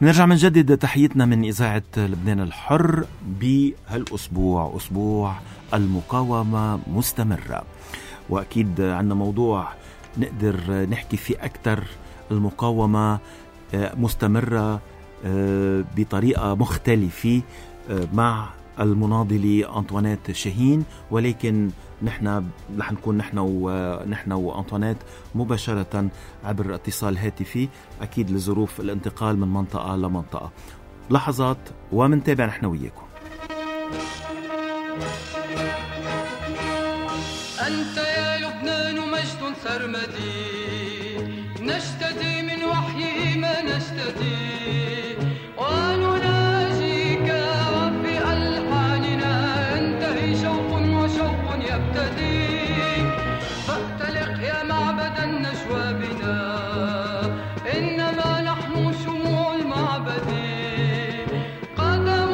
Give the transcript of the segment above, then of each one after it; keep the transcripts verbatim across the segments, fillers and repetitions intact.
نرجع من جديد تحيتنا من إذاعة لبنان الحر بهالأسبوع، أسبوع المقاومة مستمرة، وأكيد عنا موضوع نقدر نحكي فيه أكتر. المقاومة مستمرة بطريقة مختلفة مع المناضلة أنطوانيت شاهين، ولكن نحن رح نكون نحن ونحن وأنطوانيت مباشرة عبر اتصال هاتفي، أكيد لظروف الانتقال من منطقة لمنطقة. لحظات ومنتابع نحن وياكم. أنت يا لبنان مجد سرمدي، نشتدي من وحيه ما نشتدي، ونناجيك وفي ألحاننا ينتهي شوق وشوق يبتدي. فاختلق يا معبد النجوى بنا، إنما نحن شموع المعبد، قدم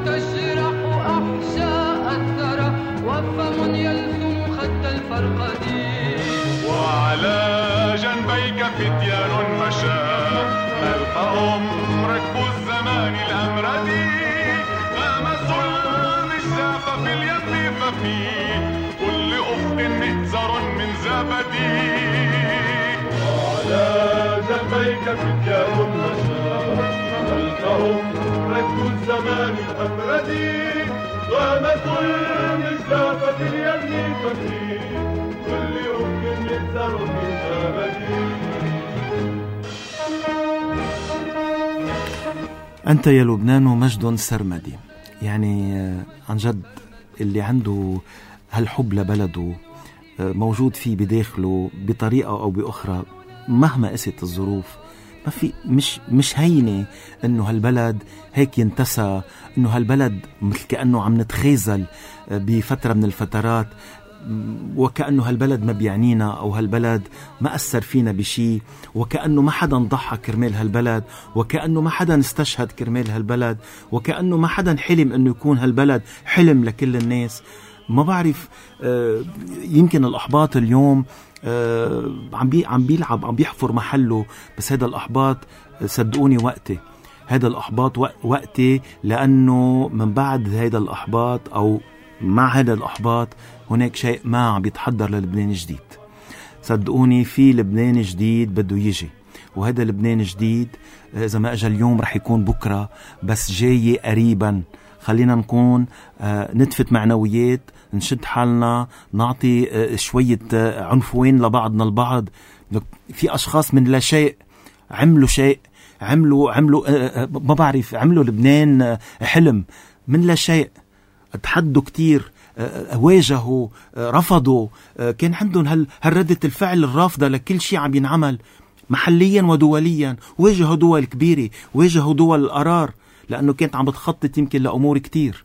تجرح أحشاء الثرى وفم يلثم خد الفرقد. وعلى جنبيك فتيان مشى، ألقاهم ركب الزمان الأمردي، غمسوا المشاف في اليم ففي كل أفق مئزر من زبدي. وعلى جنبيك فتيان مشى، ألقاهم ركب الزمان الأمردي، غمسوا المشاف في اليم ففي كل أفق مئزر من زبدي. أنت يا لبنان مجد سرمدي، يعني عن جد اللي عنده هالحب لبلده موجود فيه بداخله بطريقة أو بأخرى مهما قست الظروف. ما في مش مش هينة إنه هالبلد هيك ينتسى، إنه هالبلد مثل كأنه عم نتخيزل بفترة من الفترات، وكأنه هالبلد ما بيعنينا أو هالبلد ما أثر فينا بشي، وكأنه ما حدا ضحى كرمال هالبلد، وكأنه ما حدا استشهد كرمال هالبلد، وكأنه ما حدا حلم أنه يكون هالبلد حلم لكل الناس. ما بعرف، يمكن الأحباط اليوم عم بي عم بيلعب عم بيحفر محله، بس هذا الأحباط صدقوني وقتي، هذا الأحباط وقتي، لأنه من بعد هذا الأحباط أو مع هذا الأحباط هناك شيء ما عم بيتحضر للبنان جديد. صدقوني في لبنان جديد بده يجي، وهذا لبنان جديد إذا ما أجا اليوم رح يكون بكرة، بس جاي قريبا. خلينا نكون آه نتفت معنويات، نشد حالنا، نعطي آه شوية آه عنفوين لبعضنا البعض. في أشخاص من لا شيء عملوا شيء، عملوا عملوا آه آه ما بعرف عملوا لبنان آه حلم من لا شيء. تحدوا كتير، آه واجهوا، آه رفضوا، آه كان عندهم هال هالردة الفعل الرافضة لكل شيء عم ينعمل محليا ودوليا. واجهوا دول كبيرة، واجهوا دول القرار، لأنه كانت عم بتخطط يمكن لأمور كتير.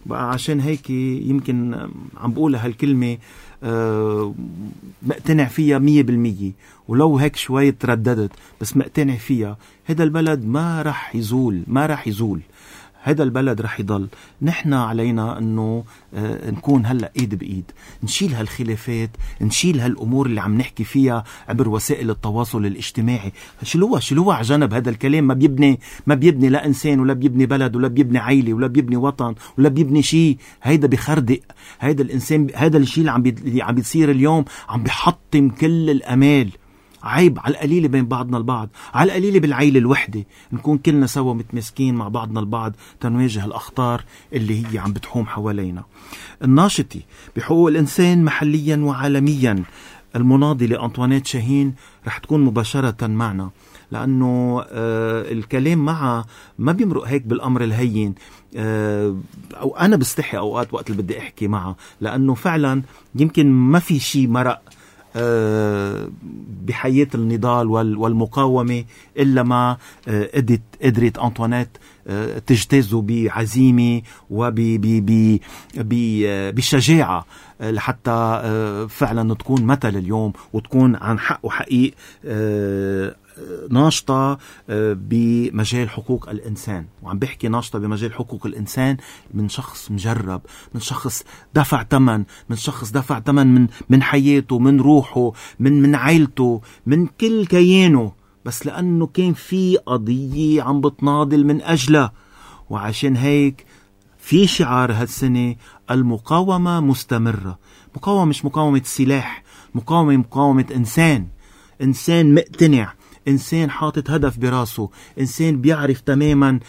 بقى عشان هيك يمكن عم بقولها هالكلمة أه مقتنع فيها مية بالمية، ولو هيك شوي ترددت بس مقتنع فيها. هذا البلد ما رح يزول، ما رح يزول، هذا البلد رح يضل. نحن علينا أنه آه نكون هلأ إيد بإيد، نشيل هالخلافات، نشيل هالأمور اللي عم نحكي فيها عبر وسائل التواصل الاجتماعي. شلوها شلوها على جنب. هذا الكلام ما بيبني ما بيبني لا إنسان، ولا بيبني بلد، ولا بيبني عائلة، ولا بيبني وطن، ولا بيبني شيء. هيدا بخردق. هيدا الإنسان، هذا الشيء اللي عم بي عم بيصير اليوم عم بيحطم كل الأمال. عيب على القليلة بين بعضنا البعض، على القليلة بالعيلة الوحدة نكون كلنا سوا متمسكين مع بعضنا البعض تنواجه الأخطار اللي هي عم بتحوم حوالينا. الناشطي بحقوق الإنسان محليا وعالميا المناضلة أنطوانيت شاهين رح تكون مباشرة معنا، لأنه آه الكلام معها ما بيمرق هيك بالأمر الهين. آه أو أنا بستحي أوقات وقت اللي بدي أحكي معها، لأنه فعلا يمكن ما في شيء مرق بحياة النضال والمقاومة إلا ما قدرت قدرت أنطوانيت تجتازه بعزيمة وبشجاعة لحتى فعلا تكون مثل اليوم، وتكون عن حق وحقيق ناشطة بمجال حقوق الإنسان. وعم بحكي ناشطة بمجال حقوق الإنسان من شخص مجرب، من شخص دفع ثمن، من شخص دفع ثمن من من حياته، من روحه، من من عائلته، من كل كيانه، بس لأنه كان في قضية عم بتناضل من أجلها. وعشان هيك في شعار هالسنة: المقاومة مستمرة. مقاومة مش مقاومة سلاح، مقاومة مقاومة إنسان، إنسان مقتنع، إنسان حاطط هدف براسه، إنسان بيعرف تماما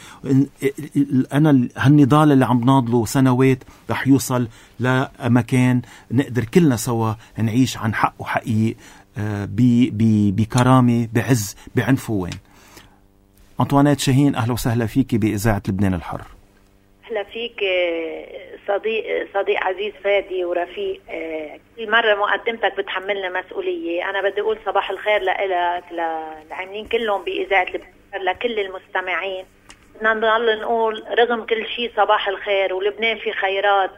أنا هالنضال اللي عم ناضله سنوات رح يوصل لمكان نقدر كلنا سوا نعيش عن حق وحقيق بكرامة بعز بعنفوان. أنطوانيت شاهين، أهلا وسهلا فيك بإذاعة لبنان الحر. أهلا فيك صديق صديق عزيز فادي ورفيق. كل مرة مقدمتك بتحملنا مسؤولية. أنا بدي أقول صباح الخير لإلك، للعاملين كلهم بإذاعة لبنان، لكل المستمعين. بدنا نضل نقول رغم كل شيء صباح الخير، ولبنان في خيرات،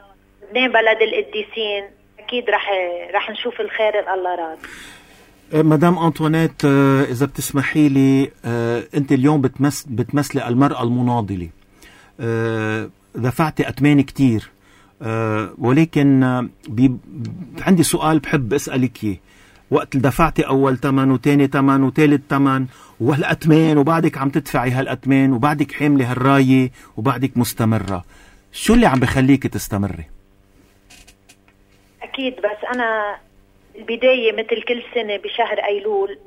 لبنان بلد القديسين، أكيد رح رح نشوف الخير الله راد. مدام أنطوانيت، إذا بتسمحي لي، أنت اليوم بتمس بتمثلي المرأة المناضلة. دفعتي أتمان كتير، ولكن بي عندي سؤال بحب أسألك إياه. وقت دفعتي أول تمن وتاني تمن وتالت تمن وهالأتمان، وبعدك عم تدفعي هالأتمان، وبعدك حاملة هالراية، وبعدك مستمرة، شو اللي عم بخليك تستمري؟ أكيد، بس أنا البداية مثل كل سنة بشهر أيلول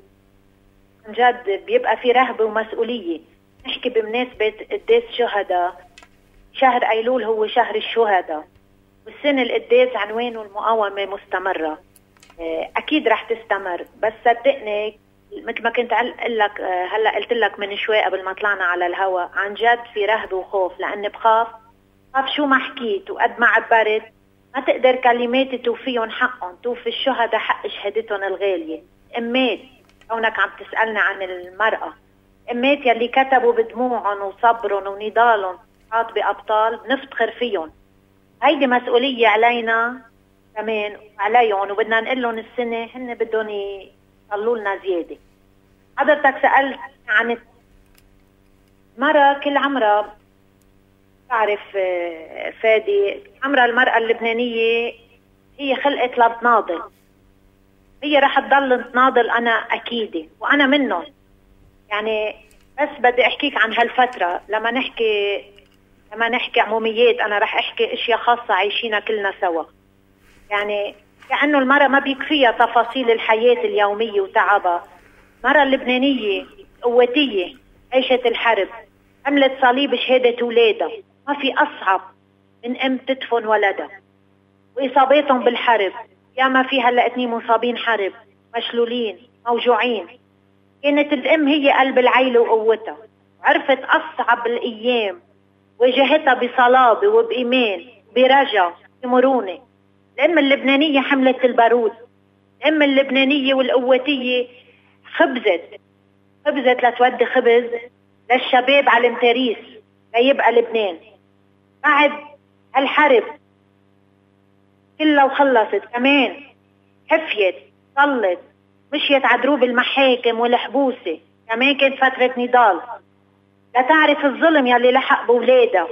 عن جد بيبقى في رهبة ومسؤولية. نحكي بمناسبة قداس شهداء. شهر أيلول هو شهر الشهداء، والسنة القداس عنوانه المقاومة مستمرة. أكيد رح تستمر، بس صدقني مثل ما كنت أقول لك هلا قلت لك من شوي قبل ما طلعنا على الهواء، عن جد في رهبة وخوف، لأني بخاف بخاف شو ما حكيت وقد ما عبرت ما تقدر كلماتي توفيهم حقهم، توفي الشهداء حق شهادتهم الغالية. أمات، كونك عم تسألنا عن المرأة، أمات يلي كتبوا بدموعهم وصبرهم ونضالهم حاط بأبطال، نفتخر فيهم. هيدي مسؤولية علينا كمان وعليهم، وبدنا نقول لهم السنة هن بدهم يطلوا لنا زيادة. حضرتك سألت عن مرة كل عمرها، تعرف فادي، عمرها المرأة اللبنانية هي خلقت لتناضل، هي رح تضل تناضل. أنا أكيدة وأنا منهم. يعني بس بدي أحكيك عن هالفترة، لما نحكي لما نحكي عموميات أنا رح أحكي أشياء خاصة عايشينها كلنا سوا. يعني كأنه المرأة ما بيكفيها تفاصيل الحياة اليومية وتعبها. المرأة اللبنانية قوتية، عيشت الحرب، عملت صليب شهادة أولادها. ما في أصعب من أم تدفن ولدها، وإصاباتهم بالحرب. يا ما في هلأ اتنين مصابين حرب، مشلولين، موجوعين. كانت الأم هي قلب العيلة وقوتها، وعرفت أصعب الأيام، واجهتها بصلابة وبإيمان، برجا، بمرونة. الأم اللبنانية حملت البارود. الأم اللبنانية والقوتية خبزت خبزت لتودي خبز للشباب على المتاريس ليبقى لبنان. بعد هالحرب كلها وخلصت كمان حفيت، صلت، مشيت عدروب المحاكم والحبوسة. كمان كانت فترة نضال لتعرف الظلم يلي لحق بولادها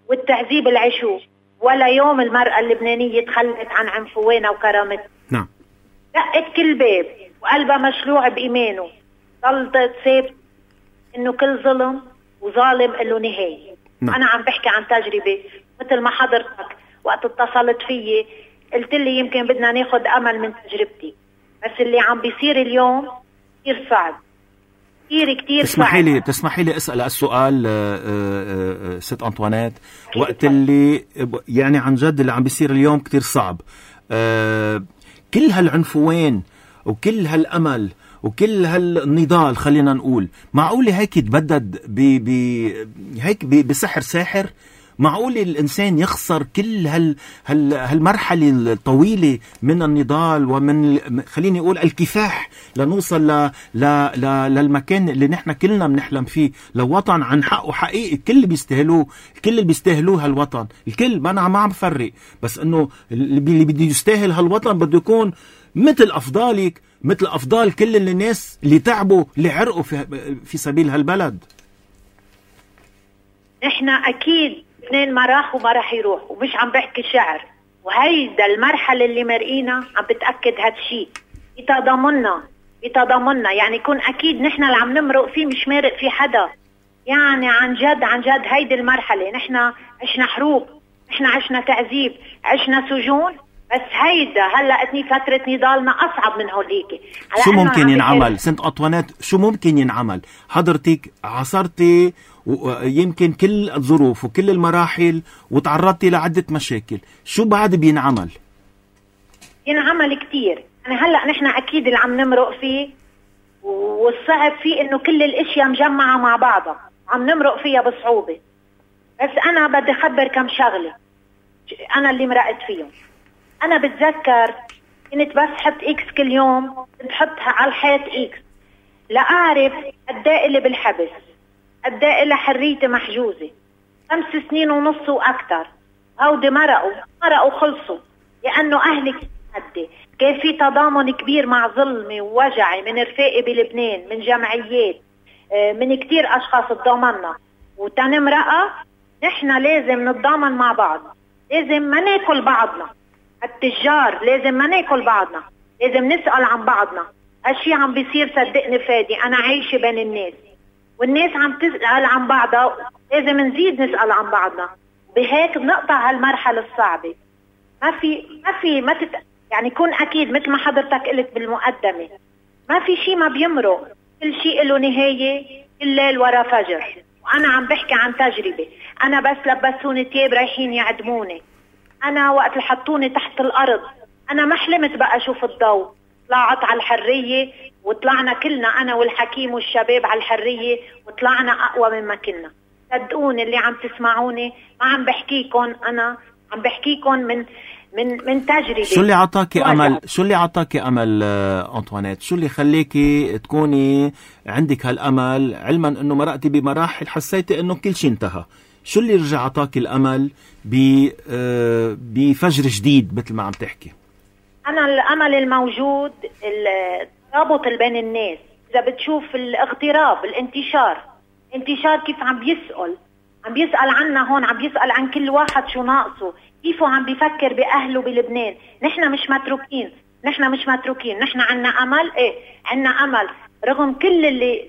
والتعذيب العشوه. ولا يوم المرأة اللبنانية تخلت عن عنفوانها وكرامتها. نعم. دقت كل باب وقلبها مشلوع بإيمانه. ضلت ثابت إنه كل ظلم وظالم له نهاية. نعم. أنا عم بحكي عن تجربة مثل ما حضرتك وقت اتصلت فيي قلت لي يمكن بدنا ناخد أمل من تجربتي، بس اللي عم بيصير اليوم كتير صعب، كتير كتير صعب. تسمحي لي تسمحي لي أسأل السؤال ست أنطوانيت، وقت اللي يعني عن جد اللي عم بيصير اليوم كتير صعب، كل هالعنفوان وكل هالأمل وكل هالنضال خلينا نقول، معقول هيك يتبدد ب هيك بسحر ساحر؟ معقول الإنسان يخسر كل هال هال هالمرحلة الطويلة من النضال ومن خليني أقول الكفاح لنوصل ل ل ل للمكان اللي نحن كلنا بنحلم فيه، لوطن عن حقه حقيقي الكل بيستاهلوه، الكل اللي بيستاهلوه هالوطن، الكل ما أنا ما عم بفرق، بس إنه اللي بده يستاهل هالوطن بده يكون مثل أفضالك، مثل أفضال كل الناس اللي تعبوا اللي عرقوا في في سبيل هالبلد. نحن أكيد اثنين ما راح وما راح يروح، ومش عم بحكي شعر، وهيدا المرحلة اللي مرقينا عم بتأكد هالشي بتضامننا بتضامننا، يعني يكون اكيد نحن اللي عم نمرق فيه مش مارق في حدا. يعني عن جد عن جد هيدي المرحله نحن عشنا حروب، نحن عشنا تعذيب، عشنا سجون، بس هيدا هلا اتني فتره نضالنا اصعب من هوليك. شو ممكن ينعمل سنت أنطوانيت؟ شو ممكن ينعمل؟ حضرتك عاصرتي ويمكن كل الظروف وكل المراحل وتعرضتي لعده مشاكل، شو بعد بينعمل؟ ينعمل كتير. يعني هلا نحن اكيد اللي عم نمرق فيه والصعب فيه انه كل الاشياء مجمعه مع بعضها، عم نمرق فيها بصعوبه. بس انا بدي اخبر كم شغله انا اللي مرقت فيهم. انا بتذكر كنت بس حط اكس كل يوم، بحطها على الحيط اكس لاعرف قد ايه اللي بالحبس، قد ايه اللي حريتي محجوزه، خمس سنين ونص واكثر. هودي مرقوا مرقوا خلصوا لانه اهلي هدي. كان في تضامن كبير مع ظلمي ووجعي من رفاقي بلبنان، من جمعيات، من كتير اشخاص تضامننا. وتنمرقة نحن لازم نتضامن مع بعض، لازم ما ناكل بعضنا. التجار لازم ما ناكل بعضنا، لازم نسأل عن بعضنا. هالشي عم بيصير صدقني فادي، انا عايشة بين الناس والناس عم تسأل عن بعضها، لازم نزيد نسأل عن بعضنا. بهيك بنقطع هالمرحلة الصعبة. ما في ما في ما تت... يعني كون اكيد مثل ما حضرتك قلت بالمقدمة، ما في شيء ما بيمرق، كل شيء له نهاية، كل ليل ورا فجر. وانا عم بحكي عن تجربة. انا بس لبسوني تياب رايحين يعدموني، انا وقت اللي حطوني تحت الارض انا ما حلمت بقى اشوف الضوء. طلعت على الحرية وطلعنا كلنا انا والحكيم والشباب على الحرية وطلعنا اقوى مما كنا. صدقوني اللي عم تسمعوني ما عم بحكيكم انا، عم بحكيكم من من من تجربة. شو اللي عطاكي امل؟ شو اللي عطاكي امل أنطوانيت؟ شو اللي خليكي تكوني عندك هالامل علما انه مرقتي بمراحل حسيتي انه كل شيء انتهى؟ شو اللي رجع عطاكي الامل بفجر جديد مثل ما عم تحكي؟ انا الامل الموجود الترابط بين الناس. اذا بتشوف الاغتراب، الانتشار انتشار كيف عم بيسأل عم بيسأل عنا هون، عم بيسأل عن كل واحد شو ناقصه، كيفه عم بيفكر بأهله بلبنان. نحن مش متروكين، نحن مش متروكين، نحن عنا أمل. إيه عنا أمل رغم كل اللي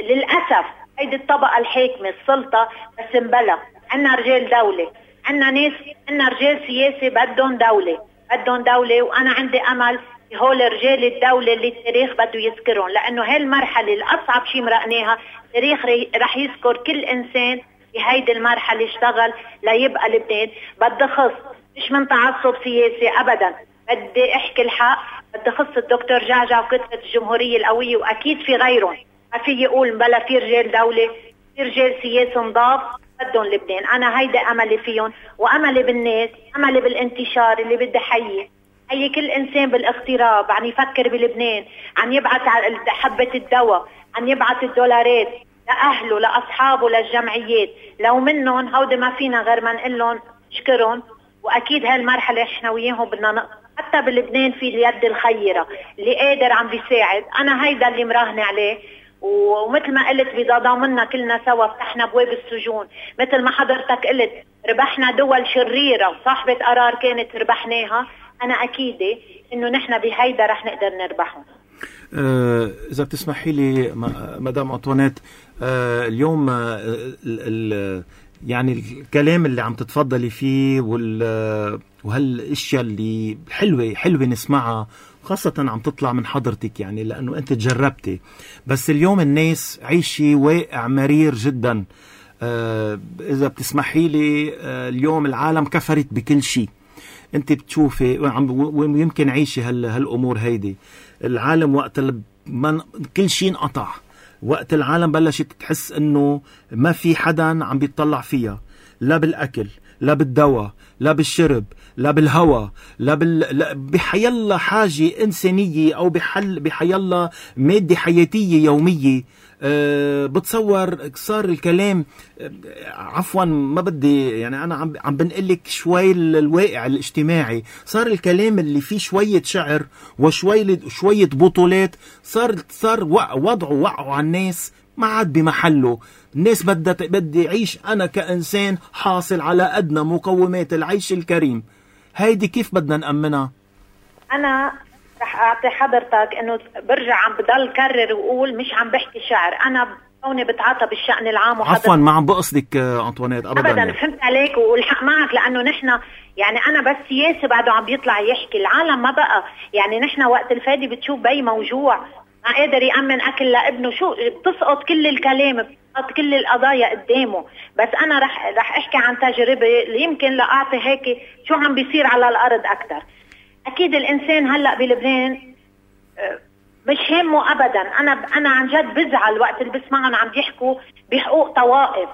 للأسف هيدي الطبقة الحاكمة السلطة بس مبلغ. عنا رجال دولة، عنا ناس، عنا رجال سياسي بدهم دولة، بدهم دولة. وأنا عندي أمل هول رجال الدولة اللي التاريخ بده يذكرهم، لأنه هاي المرحلة الأصعب شيء مرقناها. التاريخ رح يذكر كل إنسان بهيدي المرحلة اشتغل ليبقى لبنان. بدي خص مش من تعصب سياسي أبدا، بدي احكي الحق. بدي خص الدكتور جعجع وكتلة الجمهورية القوية، وأكيد في غيرهم. ما في يقول بلا في رجال دولة، في رجال سياسي نضاف بدهم لبنان. أنا هيدا أملي فيهم، وأملي بالناس، أملي بالانتشار اللي بدي حيي حيي كل إنسان بالاغتراب عم يفكر بلبنان، عم يبعث حبة الدواء، عم يبعث الدولارات لأهله لأصحابه للجمعيات. لو منهم هودي ما فينا غير ما نقول لهم شكرهم. وأكيد هالمرحلة إحنا وياهم بدنا نقطع. حتى بلبنان في اليد الخيرة اللي قادر عم بيساعد. أنا هيدا اللي مراهنة عليه. ومثل ما قلت بتضامننا كلنا سوا، فتحنا بواب السجون مثل ما حضرتك قلت، ربحنا دول شريرة وصاحبة قرار كانت ربحناها. أنا أكيدة إنه نحن بهيدا رح نقدر نربحهم. آه إذا بتسمحي لي مدام أنطوانيت، آه اليوم آه ال ال يعني الكلام اللي عم تتفضلي فيه وال وهالاشياء اللي حلوة حلوة نسمعها، خاصة عم تطلع من حضرتك، يعني لأنه أنت تجربتي. بس اليوم الناس عيشي واقع مرير جدا. آه إذا بتسمحي لي، آه اليوم العالم كفرت بكل شيء. أنت بتشوفي ويمكن عيشي هال هالأمور هيدي. العالم وقت من كل شيء انقطع، وقت العالم بلشت تحس انه ما في حدا عم بيطلع فيها، لا بالاكل، لا بالدواء، لا بالشرب، لا بالهواء، لا بال بحيالله حاجه انسانيه او بحل بحيالله ماده حياتيه يوميه. أه بتصور صار الكلام، أه عفوا ما بدي يعني انا عم عم بنقلك شوي الواقع الاجتماعي. صار الكلام اللي فيه شويه شعر وشويه شويه بطولات، صار صار وضعه وقعوا على الناس ما عاد بمحله. الناس بدها بدي عيش انا كانسان حاصل على ادنى مقومات العيش الكريم. هيدي كيف بدنا نأمنها؟ انا رح رح اعطي حضرتك انه برجع عم بضل كرر وقول مش عم بحكي شعر، انا كوني بتعاطى بالشأن العام. عفوا ما عم بقصدك انطوانيت ابدا ابدا يعني. فهمت عليك والحق معك، لانه نحن يعني انا بس سياسي بعده عم بيطلع يحكي العالم ما بقى يعني. نحن وقت الفادي بتشوف بي موجوع ما قادر يأمن اكل لابنه، شو بتسقط كل الكلام، بتسقط كل القضايا قدامه. بس انا رح رح احكي عن تجربه اللي يمكن لاعطي هيك شو عم بيصير على الارض اكثر. اكيد الانسان هلا بلبنان مش همه ابدا. انا انا عن جد بزعل وقت اللي بسمعهم عم يحكوا بحقوق طوائف.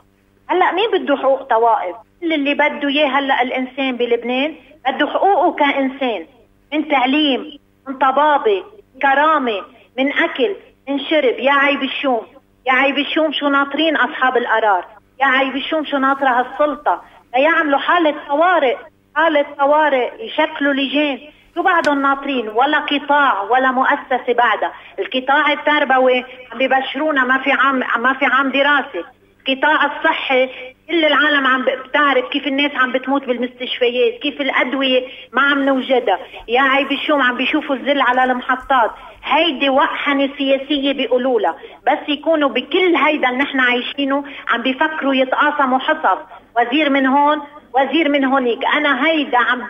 هلا مين بده حقوق طوائف؟ كل اللي بده اياه هلا الانسان بلبنان بده حقوقه كانسان، من تعليم، من طبابه، كرامه، من اكل، من شرب. يا عيب الشوم، يا عيب الشوم شو ناطرين اصحاب القرار، يا عيب الشوم شو ناطره هالسلطه ليعملوا حاله طوارئ، حاله طوارئ يشكلوا لجان. شو بعدهم ناطرين؟ ولا قطاع ولا مؤسسه بعدها. القطاع التربوي عم بيبشرونا ما في عام ما في عام دراسه. القطاع الصحي كل العالم عم بتعرف كيف الناس عم بتموت بالمستشفيات، كيف الادويه ما عم نوجدها. يا عيب الشوم عم بيشوفوا الذل على المحطات. هيدي وقحنه سياسيه بيقولوا لها، بس يكونوا بكل هيدا اللي نحن عايشينه عم بيفكروا يتقاسموا حصص، وزير من هون وزير من هونيك. انا هيدا عم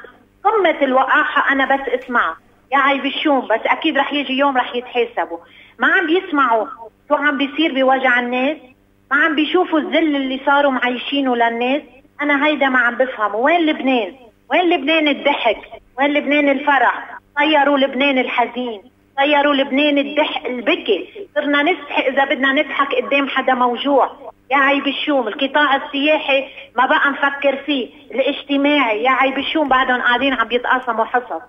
قمة الوقاحة أنا بس اسمع يا عيب الشوم. بس أكيد رح يجي يوم رح يتحاسبوا. ما عم بيسمعوا شو عم بيصير بوجع الناس، ما عم بيشوفوا الذل اللي صاروا معيشينه للناس. أنا هيدا ما عم بفهم. وين لبنان؟ وين لبنان الضحك؟ وين لبنان الفرح؟ طيروا لبنان الحزين، طيروا لبنان الضحك البكي. صرنا نضحك إذا بدنا نضحك قدام حدا موجوع. يا عيب الشوم. القطاع السياحي ما بقى نفكر فيه. الاجتماعي يا عيب الشوم بعدهم قاعدين عم يتقاسموا حصص.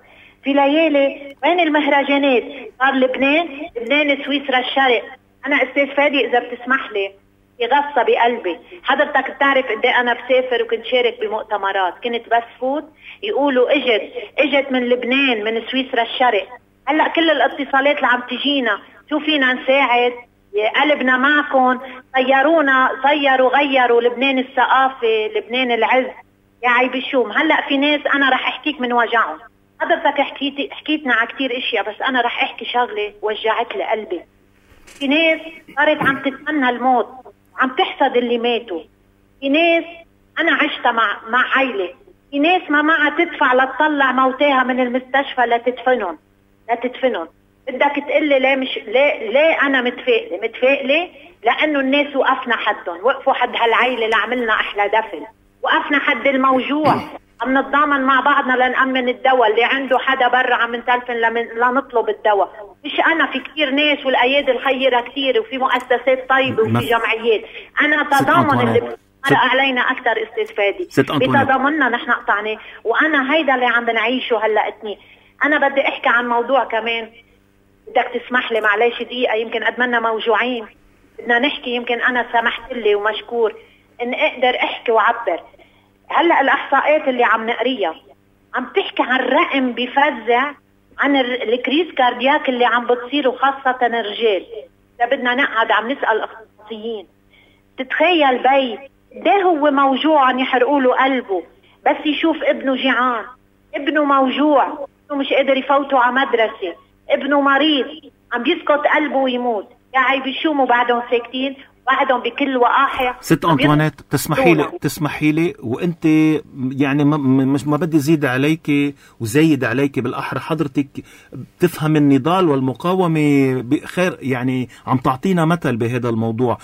في ليالي وين المهرجانات؟ صار لبنان لبنان سويسرا الشرق. انا استاذ فادي اذا بتسمح لي في غصة بقلبي. حضرتك بتعرف قد ايه انا بسافر وكنت شارك بمؤتمرات، كنت بس فوت يقولوا اجت اجت من لبنان من سويسرا الشرق. هلا كل الاتصالات اللي عم تجينا شو فينا نساعد، قلبنا معكم، طيرونا، طيروا غيروا لبنان الثقافة، لبنان العز. يا عيب الشوم. هلا في ناس انا رح احكيك من وجعهم. حضرتك حكيتي حكيتنا على كتير اشياء، بس انا رح احكي شغله وجعت لي قلبي. في ناس صارت عم تتمنى الموت، عم تحسد اللي ماتوا. في ناس انا عشتها مع مع عائله، في ناس ما معها تدفع لتطلع موتاها من المستشفى لتدفنهم لتدفنهم. بدك تقلي ليه مش ليه ليه انا متفائله؟ متفائله لانه الناس وقفنا حدهم، وقفوا حد هالعيله لعملنا احلى دفن، وقفنا حد الموجوع، عم نتضامن مع بعضنا لنأمن الدواء. اللي عنده حدا برا عم نتلفن لنطلب الدواء. مش انا، في كتير ناس والايادي الخيره كتير، وفي مؤسسات طيبه وفي جمعيات. انا تضامن اللي مرق علينا اكثر استاذ فادي بتضامننا نحن قطعناه، وانا هيدا اللي عم بنعيشه هلا اتنين. انا بدي احكي عن موضوع كمان، بدك تسمح لي معلش دقيقه، يمكن ادمنا موجوعين بدنا نحكي، يمكن انا سمحت لي ومشكور ان اقدر احكي وعبر. هلا الاحصاءات اللي عم نقريها عم تحكي عن رقم بفزع عن الكريز كاردياك اللي عم بتصير، وخاصه الرجال. اذا بدنا نقعد عم نسال اخصائيين، تتخيل بي ده هو موجوع عم يحرقوا له قلبه بس يشوف ابنه جيعان، ابنه موجوع، ابنه مش قادر يفوتوا على مدرسه، ابنه مريض، عم بيسقط قلبه ويموت. يا عيب شو مو بعدهم ساكتين، بعدهم بكل وقاحه. ست أنطوانيت تسمحي لي تسمحي لي وانت يعني ما, مش ما بدي زيد عليك وزيد عليك، بالاحرى حضرتك بتفهم النضال والمقاومه بخير، يعني عم تعطينا مثل بهذا الموضوع.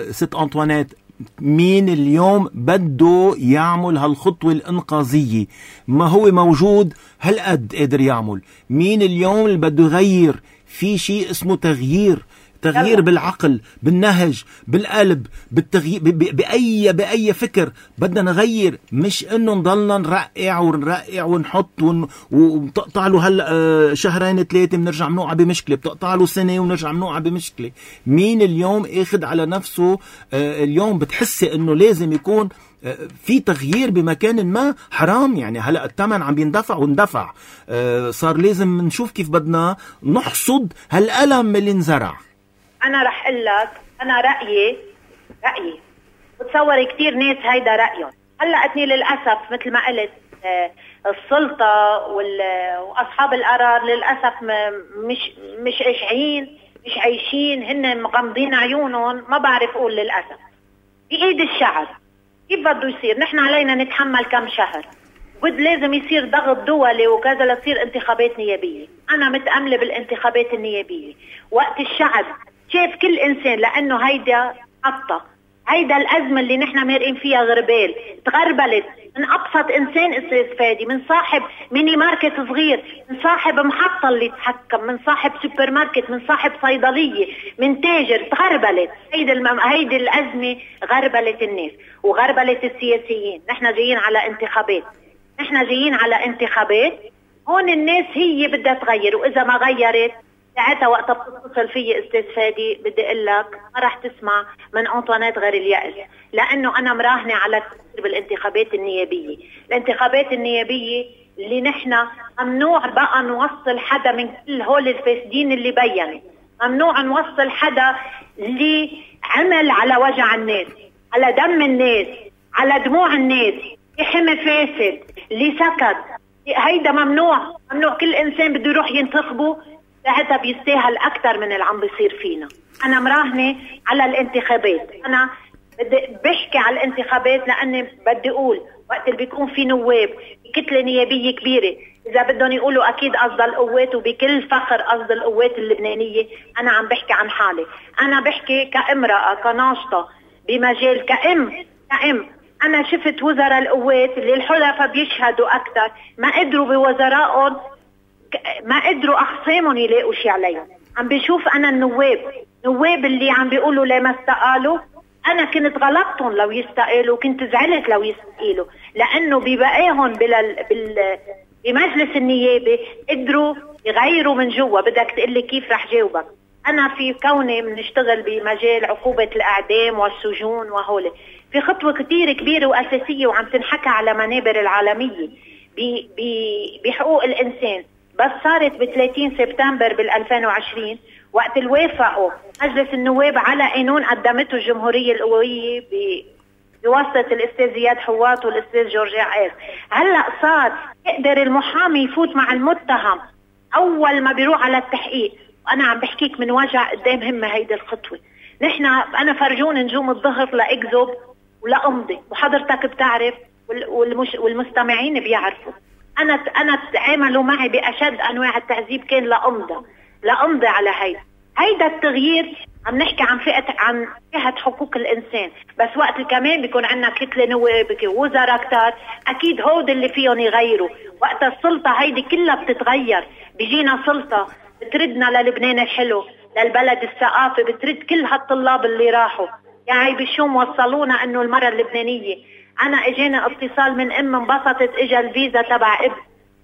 ست أنطوانيت، مين اليوم بده يعمل هالخطوة الإنقاذية؟ ما هو موجود هالقد قادر يعمل. مين اليوم اللي بده يغير؟ في شيء اسمه تغيير، تغيير بالعقل، بالنهج، بالقلب، بالتغيير، بأي بأي فكر بدنا نغير. مش انه نضلنا نرقع ونرقع ونحط ون... وبتقطع له هلا شهرين ثلاثه بنرجع بنوقع بمشكله، بتقطع له سنه ونرجع بنوقع بمشكله. مين اليوم اخذ على نفسه اليوم بتحسي انه لازم يكون في تغيير بمكان ما؟ حرام يعني. هلا الثمن عم بيندفع واندفع، صار لازم نشوف كيف بدنا نحصد هالألم اللي انزرع. أنا رح أقول لك أنا رأيي رأيي بتصور كتير ناس هيدا رأيهم. هلا أتني للأسف مثل ما قلت السلطة وأصحاب القرار للأسف مش مش عايشين مش عايشين هن مغمضين عيونهم. ما بعرف أقول للأسف بإيد الشعب كيف بده يصير. نحن علينا نتحمل كم شهر، بد لازم يصير ضغط دولي وكذا لتصير انتخابات نيابية. أنا متأملة بالانتخابات النيابية وقت الشعب شاف كل إنسان، لأنه هيدا حطة هيدا الأزمة اللي نحن مارقين فيها غربال تغربلت من أبسط إنسان أستاذ فادي، من صاحب ميني ماركت صغير، من صاحب محطة اللي تحكم، من صاحب سوبر ماركت، من صاحب صيدلية، من تاجر. تغربلت هيدا المم... هيدا الأزمة غربلت الناس وغربلت السياسيين. نحن جايين على انتخابات، نحن جايين على انتخابات. هون الناس هي بدها تغير، وإذا ما غيرت ساعتها وقتها بتتصل فيي استاذ فادي بدي اقول لك ما راح تسمع من انطوانات غير اليأس، لانه انا مراهنه على كثير بالانتخابات النيابيه. الانتخابات النيابيه اللي نحن ممنوع بقى نوصل حدا من كل هول الفاسدين اللي بينوا، ممنوع نوصل حدا اللي عمل على وجع الناس، على دم الناس، على دموع الناس، حمى فاسد اللي سكت. هيدا ممنوع، ممنوع. كل انسان بده يروح ينتخبه ساعتها بيستاهل أكتر من اللي عم بيصير فينا. أنا مراهنة على الانتخابات، أنا بدي بحكي على الانتخابات لأني بدي أقول وقت اللي بيكون في نواب كتلة نيابية كبيرة إذا بدهم يقولوا أكيد قصد القوات، وبكل فخر قصد القوات اللبنانية. أنا عم بحكي عن حالي، أنا بحكي كامرأة كناشطة بمجال كأم كأم أنا شفت وزراء القوات اللي الحلفاء بيشهدوا أكتر ما قدروا بوزرائهم، ما قدروا أخصامهم يلاقوا شي عليهم. عم بشوف أنا النواب نواب اللي عم بيقولوا ليه ما استقالوا. أنا كنت غلطتهم لو يستقالوا، كنت زعلت لو يستقالوا، لأنه ببقاهم بال... بال... بمجلس النيابة قدروا يغيروا من جوا. بدك تقلي كيف رح جاوبك. أنا في كوني بنشتغل بمجال عقوبة الإعدام والسجون وهولي، في خطوة كتير كبيرة وأساسية وعم تنحكى على منابر العالمية ب... ب... بحقوق الإنسان. بس صارت ب ثلاثين سبتمبر بال ألفين وعشرين وقت اللي وافقوا مجلس النواب على قانون قدمته الجمهورية القوية بواسطة الأستاذ زياد حواط والأستاذ جورج عاز. هلأ صار يقدر المحامي يفوت مع المتهم أول ما بيروح على التحقيق. وأنا عم بحكيك من وجع قدام همة هيدي الخطوة. نحن أنا فرجون نجوم الظهر لأكذب ولا أمضي، وحضرتك بتعرف والمش والمستمعين بيعرفوا. أنا أنا تعاملوا معي بأشد أنواع التعذيب كان لأمضى لأمضي على هيدا هيدا التغيير. عم نحكي عن فئة عن فئة حقوق الإنسان، بس وقت كمان بيكون عندنا كتلة نواب وزراء كتار أكيد هود اللي فيهم يغيروا. وقت السلطة هيدي كلها بتتغير، بيجينا سلطة بتردنا للبنان الحلو، للبلد الثقافي، بترد كل هالطلاب اللي راحوا. يعني بشوم وصلونا إنه المرة اللبنانية. أنا إجينا اتصال من أم انبسطت إجا الفيزا تبع ابن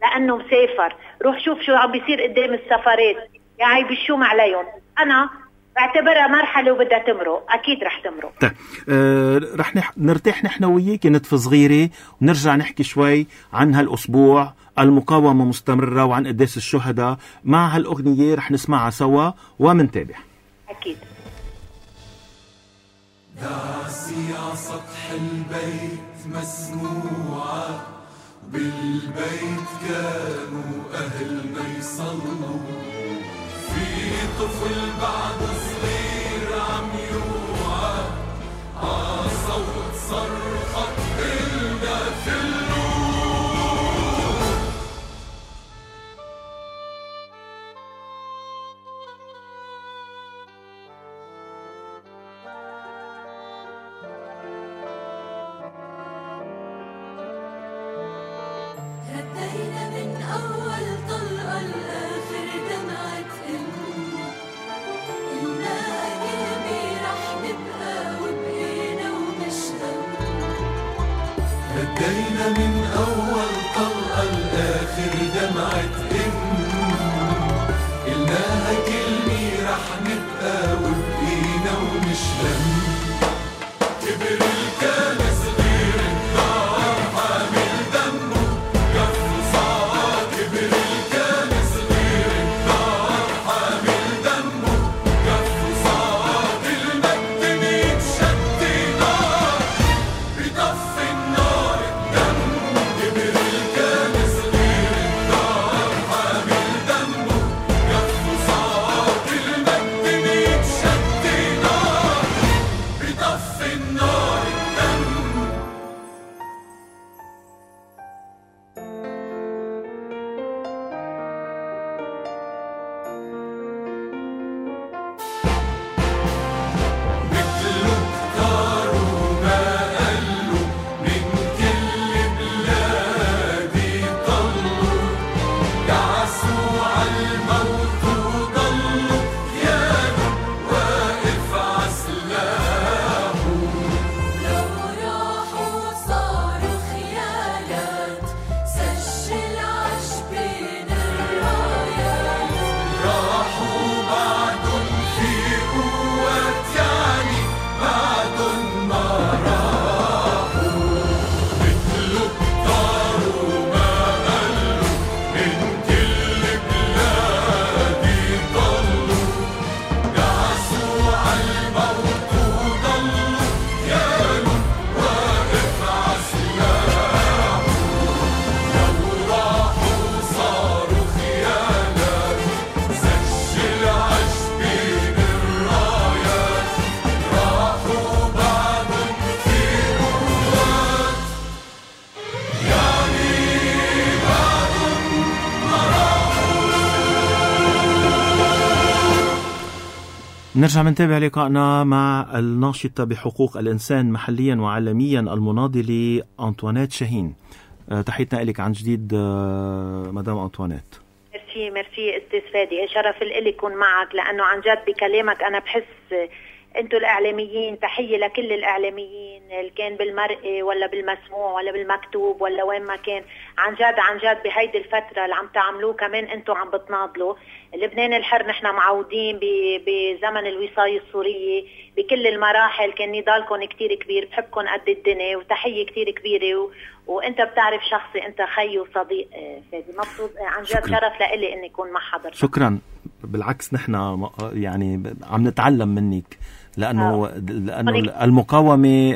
لأنه مسافر، روح شوف شو عم بيصير قدام السفارات. يعني بشوم عليهم. أنا بعتبرها مرحلة وبدها تمرق، أكيد رح تمرق. طيب آه رح نح... نرتاح نحن وياك نتف صغيرة ونرجع نحكي شوي عن هالأسبوع المقاومة مستمرة وعن قداس الشهداء. مع هالأغنية رح نسمعها سوا ومنتابع. أكيد. دعسي على سطح البيت مسموعة، بالبيت كانوا أهلنا يصلوا، في طفل بعد صغير عم يوعى ع صوت صرخة إلنا في النور. ردينا من أول طلقة لآخر دمعة أم، قلنا كلمة رح نبقى وبقينا ومش هم. ردينا من أول طلقة لآخر دمعة أم، قلناها كلمة رح نبقى وبقينا ومش هم. كبر الكان صغير الدار حامل دمه كف صار، كبر الكان صغير الدار حامل دمه كف صار، المجد ميتشد نار بطف النار الدم. كبر نرجع منتابع لقائنا مع الناشطة بحقوق الإنسان محليا وعالميا المناضلة أنطوانيت شاهين. أه تحيتنا لك عن جديد أه مدام أنطوانيت. ميرسي ميرسي استاذ فادي، شرف لي يكون معك، لأنه عن جد بكلامك أنا بحس أنتوا الإعلاميين، تحية لكل الإعلاميين اللي كان بالمرئي ولا بالمسموع ولا بالمكتوب ولا وين ما كان. عن جد عن جد بهيدي الفترة اللي عم تعملوه كمان أنتوا عم بتناضلوا. لبنان الحر نحن معودين بزمن الوصاية السورية بكل المراحل، كان نضالكم كتير كبير، بحبكم قد الدنيا وتحية كتير كبيرة و... وانت بتعرف شخصي، انت خي وصديق فادي. مبسوط عن جد، شرف لإلي اني اكون مع حضرتك. شكرا. بالعكس نحن يعني عم نتعلم منك، لأنه آه. لأنه المقاومة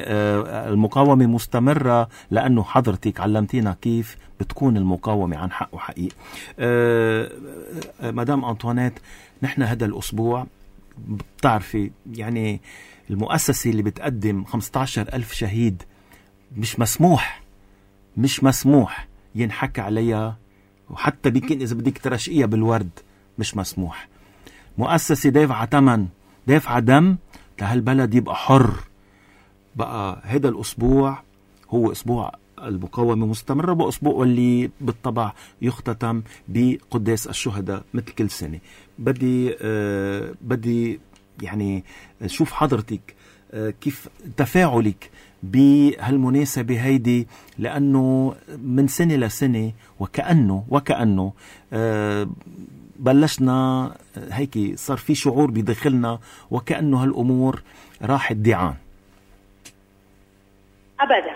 المقاومة مستمرة، لأنه حضرتك علمتينا كيف بتكون المقاومة عن حق وحقيق. مدام أنطوانيت، نحن هذا الأسبوع بتعرفي يعني المؤسسة اللي بتقدم خمسة عشر ألف شهيد مش مسموح مش مسموح ينحكى عليها، وحتى بيكون إذا بدك ترشقيها بالورد مش مسموح. مؤسسة دافعة ثمن، دافعة دم لهالبلد يبقى حر. بقى هذا الأسبوع هو أسبوع المقاومة مستمرة، بأسبوع اللي بالطبع يختتم بقداس الشهداء مثل كل سنة. بدي آه بدي يعني شوف حضرتك آه كيف تفاعلك بهالمناسبة هيدي، لأنه من سنة لسنة وكأنه وكأنه آه بلشنا هيك صار في شعور بداخلنا وكأنه هالأمور راحت ديعان. أبدا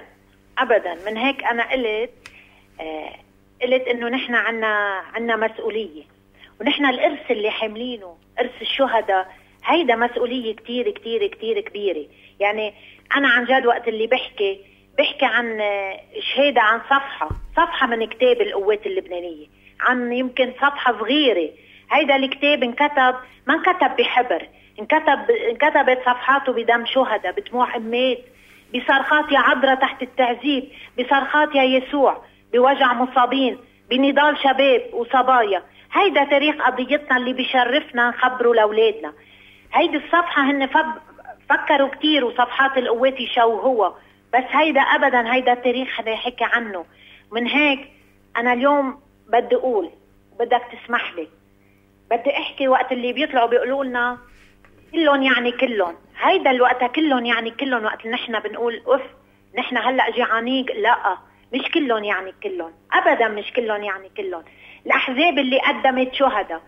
أبدا. من هيك أنا قلت آه قلت إنه نحن عنا عنا مسؤولية، ونحن الإرث اللي حاملينه إرث الشهداء، هيدا مسؤولية كتير كتير كتير كبيرة. يعني أنا عن جد وقت اللي بحكي بحكي عن شهادة، عن صفحة صفحة من كتاب القوات اللبنانية، عن يمكن صفحة صغيرة. هيدا الكتاب انكتب ما انكتب بحبر، انكتب انكتبت صفحاته بدم شهداء، بدموع أمات، بصرخات يا عذراء تحت التعذيب، بصرخات يا يسوع، بوجع مصابين، بنضال شباب وصبايا. هيدا تاريخ قضيتنا اللي بيشرفنا نخبره لأولادنا. هيدي الصفحة هن فكروا كتير وصفحات القوات يشوهوها، بس هيدا أبدا هيدا التاريخ اللي حكي عنه. من هيك أنا اليوم بدي أقول، بدك تسمح لي، بدي أحكي وقت اللي بيطلعوا بيقولوا لنا كلهم يعني كلهم، هيدا الوقت كلهم يعني كلهم، وقت نحن بنقول أف نحن هلأ جيعانين، لا مش كلهم يعني كلهم، أبدا مش كلهم يعني كلهم. الأحزاب اللي قدمت شهداء،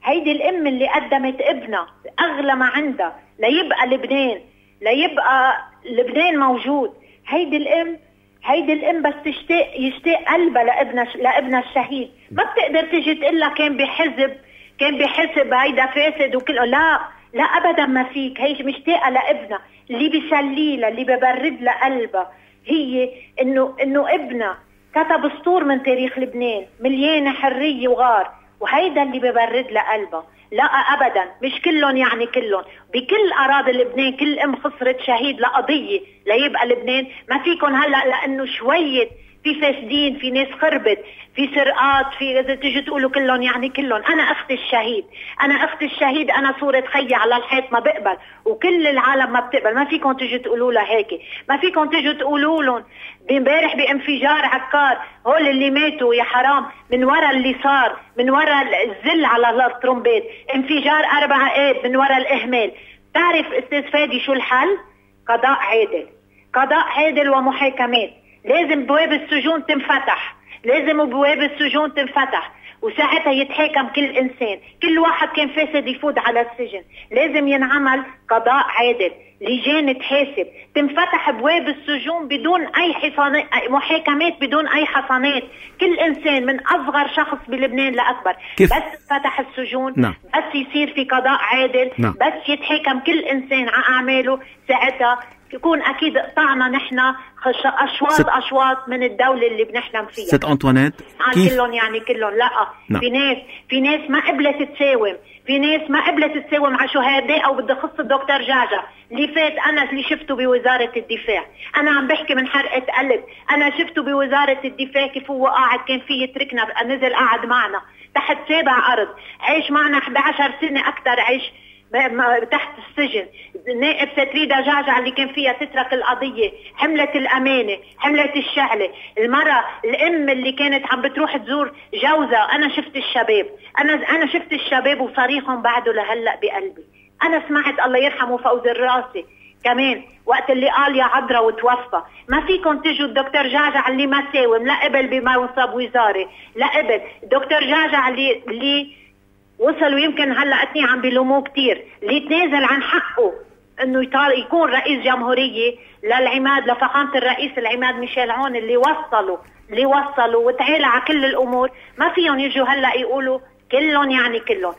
هيدي الأم اللي قدمت ابنها أغلى ما عندها ليبقى لبنان، ليبقى لبنان موجود. هيدي الأم هيدي الأم بس تشتاق يشتاق قلبها لابنها لابنها الشهيد، ما بتقدر تجي تقول لها كان بحزب كان بحسب هيدا فاسد وكله، لا لا أبدا ما فيك. هي مشتاقة لابنها، اللي بيسليلها اللي ببرد لها قلبها هي إنه إنه ابنها كتب سطور من تاريخ لبنان مليانة حرية وغار، وهيدا اللي ببرد لها قلبها. لا أبدا مش كلهم يعني كلهم. بكل أراضي لبنان كل أم خسرت شهيد لقضية ليبقى لبنان. ما فيكم هلأ لأنه شوية في فاسدين، في ناس خربت، في سرقات، في إذا تيجي تقولوا كلهم يعني كلهم. أنا أخت الشهيد، أنا أخت الشهيد، أنا صورة خيي على الحيط ما بقبل، وكل العالم ما بتقبل. ما فيكم تيجي تقولوا لها هيك، ما فيكم تيجي تقولوا لهم امبارح بانفجار عكار هول اللي ماتوا يا حرام من وراء اللي صار، من وراء الزل على الترومبيت، انفجار أربعة آب من وراء الإهمال. تعرف أستاذ فادي شو الحل؟ قضاء عادل، قضاء عادل ومحاكمات. لازم بواب السجون تنفتح، لازم بواب السجون تنفتح، وساعتها يتحاكم كل إنسان. كل واحد كان فاسد يفوت على السجن. لازم ينعمل قضاء عادل، لجان تحاسب، تنفتح بواب السجون بدون أي حصانات، محاكمات بدون أي حصانات. كل إنسان من أصغر شخص بلبنان لأكبر كيف؟ بس فتح السجون، نعم. بس يصير في قضاء عادل، نعم. بس يتحاكم كل إنسان على أعماله، ساعتها يكون أكيد قطعنا نحن أشواط ست... أشواط من الدولة اللي بنحلم فيها. ست أنطوانيت كيف؟ كلهم يعني كلهم لا، نعم. في ناس في ناس ما قبلت تساوم، في ناس ما قبلت تساوم على شهداء. أو بدي خص الدكتور جاجا اللي فات، أنا اللي شفته بوزارة الدفاع، أنا عم بحكي من حرقة قلب. أنا شفته بوزارة الدفاع كيف هو قاعد، كان فيه يتركنا، نزل قاعد معنا تحت سابع أرض، عيش معنا إحدى عشرة سنة أكتر، عيش تحت السجن. نائب ستريدا جعجع اللي كان فيها تترك القضية، حملة الأمانة، حملة الشعلة. المرة الأم اللي كانت عم بتروح تزور جوزها، أنا شفت الشباب، أنا أنا شفت الشباب وصريخهم بعده لهلأ بقلبي. أنا سمعت الله يرحمه فوز الراسي كمان وقت اللي قال يا عذرا وتوفى. ما فيكم تجوا الدكتور جعجع اللي ما ساوم لا قبل بمنصب وزاري لا قبل، الدكتور جعجع اللي اللي وصلوا يمكن هلا اثنين عم بيلوموه كتير، اللي تنازل عن حقه انه يكون رئيس جمهورية للعماد لفخامة الرئيس العماد ميشيل عون، اللي وصلوا اللي وصلوا وتعالى على كل الامور. ما فيهم يجوا هلا يقولوا كلهم يعني كلهم.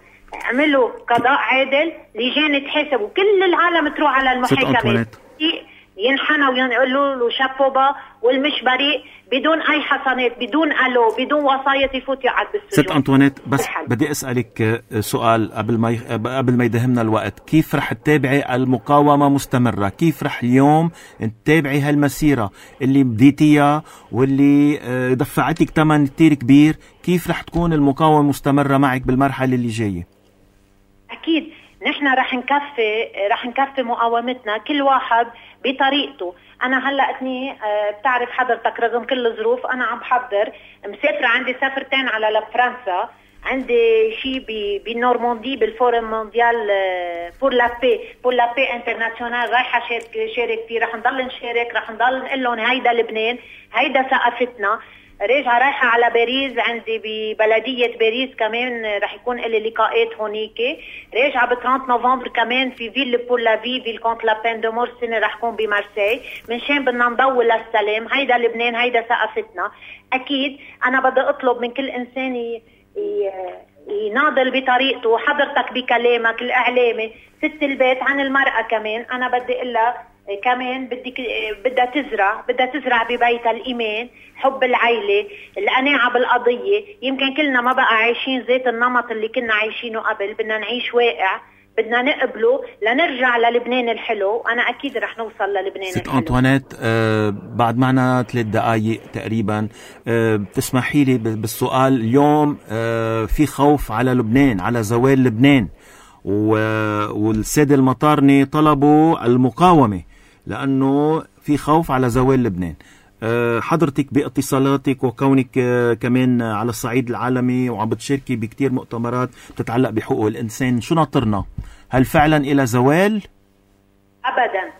عملوا قضاء عادل، لجان تحاسب وكل العالم تروح على المحاكمات ينحنى ويقولوا له شابوبا والمش بريء بدون اي حصانات، بدون الو، بدون وصاية يفوت يقعد بالسجون. ست أنطوانيت بس بدي اسالك سؤال قبل ما قبل ما يدهمنا الوقت، كيف رح تتابعي المقاومه مستمره؟ كيف رح اليوم تتابعي هالمسيره اللي بديتيها واللي دفعتك ثمن كتير كبير؟ كيف رح تكون المقاومه مستمره معك بالمرحله اللي جايه؟ اكيد نحن رح نكفي رح نكفي مقاومتنا كل واحد بطريقته. انا هلا اثني بتعرف حضرتك رغم كل الظروف انا عم بحضر مسافره، عندي سفرتين على لفرنسا، عندي شيء بالنورماندي بالفورم مونديال بور لا بي بور لا بي انترناسيونال رايحه شارك شارك فيه. رح نضل نشارك، رح نضل نقول لهم هيدا لبنان، هيدا ثقافتنا. راجعه رايحه على باريس، عندي ببلديه باريس كمان رح يكون لي لقاءات هونيك. راجعه ب ثلاثين نوفمبر كمان في فيل بور لا في فيل كونت لا بين دو مور سنه رح كون بمارسي، منشان بدنا نضوي للسلام. هيدا لبنان، هيدا ثقافتنا. اكيد انا بدي اطلب من كل انسان يناضل بطريقته. حضرتك بكلامك الاعلامي ست البيت عن المراه كمان انا بدي اقول لها كمان بدك بدها تزرع بدها تزرع ببيتها الايمان، حب العيله، القناعه بالقضيه. يمكن كلنا ما بقى عايشين ذات النمط اللي كنا عايشينه قبل، بدنا نعيش واقع، بدنا نقبله لنرجع للبنان الحلو. انا اكيد رح نوصل للبنان ست الحلو. أنطوانيت آه بعد معنا ثلاث دقائق تقريبا، آه بتسمحي لي بالسؤال. اليوم آه في خوف على لبنان، على زوال لبنان، والسادة المطارني طلبوا المقاومة لأنه في خوف على زوال لبنان. حضرتك باتصالاتك وكونك كمان على الصعيد العالمي وعم بتشاركي بكتير مؤتمرات بتتعلق بحقوق الإنسان، شو ناطرنا؟ هل فعلا إلى زوال؟ أبدا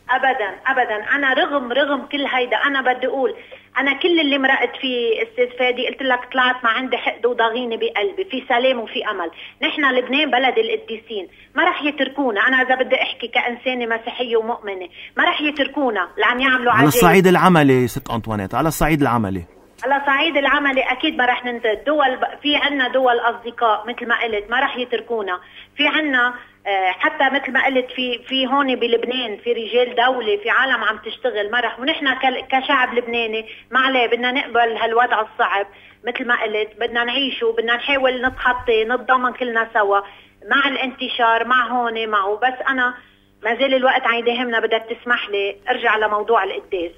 أبدا أبدا. أنا رغم رغم كل هيدا أنا بدي أقول أنا كل اللي مرقت فيه استاذ فادي قلت لك طلعت ما عندي حقد وضغينة بقلبي، في سلام وفي أمل. نحن لبنان بلد القديسين، ما رح يتركونا. أنا إذا بدي أحكي كإنسانة مسيحية ومؤمنة ما رح يتركونا لعم يعملوا على الصعيد العملي. ست أنطوانيت على الصعيد العملي على صعيد العملي أكيد ما رح ننتهي. دول في عنا دول أصدقاء مثل ما قلت ما رح يتركونا. في عنا حتى مثل ما قلت في في هون بلبنان في رجال دولة، في عالم عم تشتغل. ما رح ونحن كشعب لبناني ما عليه بدنا نقبل هالوضع الصعب. مثل ما قلت بدنا نعيشه، بدنا نحاول نتخطي نتضامن كلنا سوا مع الانتشار مع هون معه. بس أنا ما زال الوقت عم يداهمنا، بدك تسمح لي أرجع لموضوع القداس.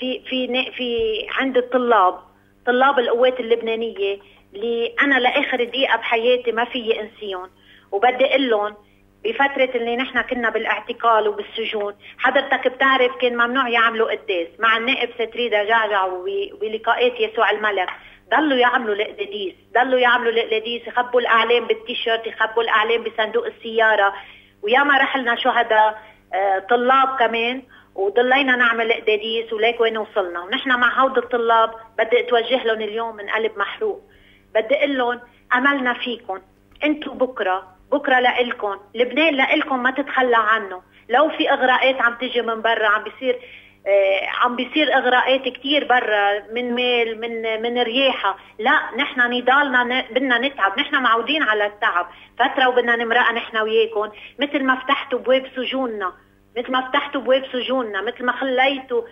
في في في عند الطلاب طلاب القوات اللبنانية اللي أنا لآخر دقيقة بحياتي ما فيي أنسيهم، وبدي أقول لهم بفترة اللي نحن كنا بالاعتقال وبالسجون حضرتك بتعرف كان ممنوع يعملوا قداس مع النائب ستريدا جعجع وبلقاءات يسوع الملك. ضلوا يعملوا القداديس، ضلوا يعملوا القداديس، يخبوا الأعلام بالتيشيرت، يخبوا الأعلام بصندوق السيارة. وياما رحلنا شهداء طلاب كمان وضلينا نعمل قداديس وليك وين وصلنا. ونحن مع هود الطلاب بدي اتوجه لهم اليوم من قلب محروق، بدي اقول لهم املنا فيكم، انتم بكره بكره لإلكم، لبنان لإلكم ما تتخلى عنه. لو في اغراءات عم تجي من برا، عم بيصير آه عم بيصير اغراءات كتير برا من ميل من من رياحه، لا نحن نضالنا بدنا نتعب، نحن معودين على التعب فتره وبدنا نمرق نحن وياكم مثل ما فتحتوا بواب سجوننا، مثل ما فتحتوا بواب سجوننا، مثل ما خليتوا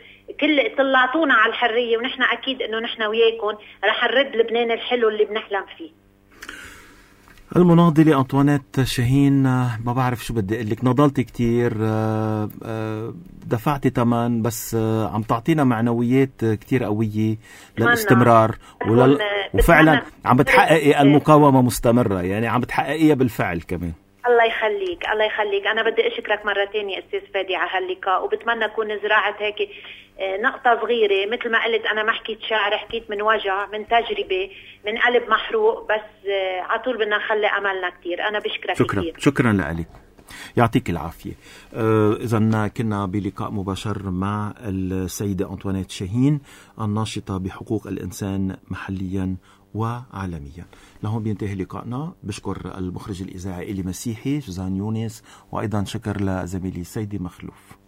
كل طلعتونا على الحرية. ونحن أكيد إنه نحن وياكم رح نرد لبنان الحلو اللي بنحلم فيه. المناضلة أنطوانيت شاهين، ما بعرف شو بدي أقول لك، نضلتي كتير، دفعتي تمن، بس عم تعطينا معنويات كتير قوية للاستمرار ولل... وفعلا عم بتحققي المقاومة مستمرة، يعني عم بتحققيها بالفعل كمان. الله الله يخليك الله يخليك. أنا بدي أشكرك مرة تانية أستاذ فادي على هاللقاء، وبتمنى أكون زراعة هيك نقطة صغيرة. مثل ما قلت أنا ما حكيت شعر، حكيت من وجع، من تجربة، من قلب محروق، بس عطول بدنا نخلي أملنا كتير. أنا بشكرك شكرا كتير. شكرا لك، يعطيك العافية. آه إذن كنا بلقاء مباشر مع السيدة أنطوانيت شاهين، الناشطة بحقوق الإنسان محليا وعالميا. لهون بينتهي لقائنا. بشكر المخرج الإذاعي إلي مسيحي جزان يونس، وأيضا شكر لزميلي سيدي مخلوف.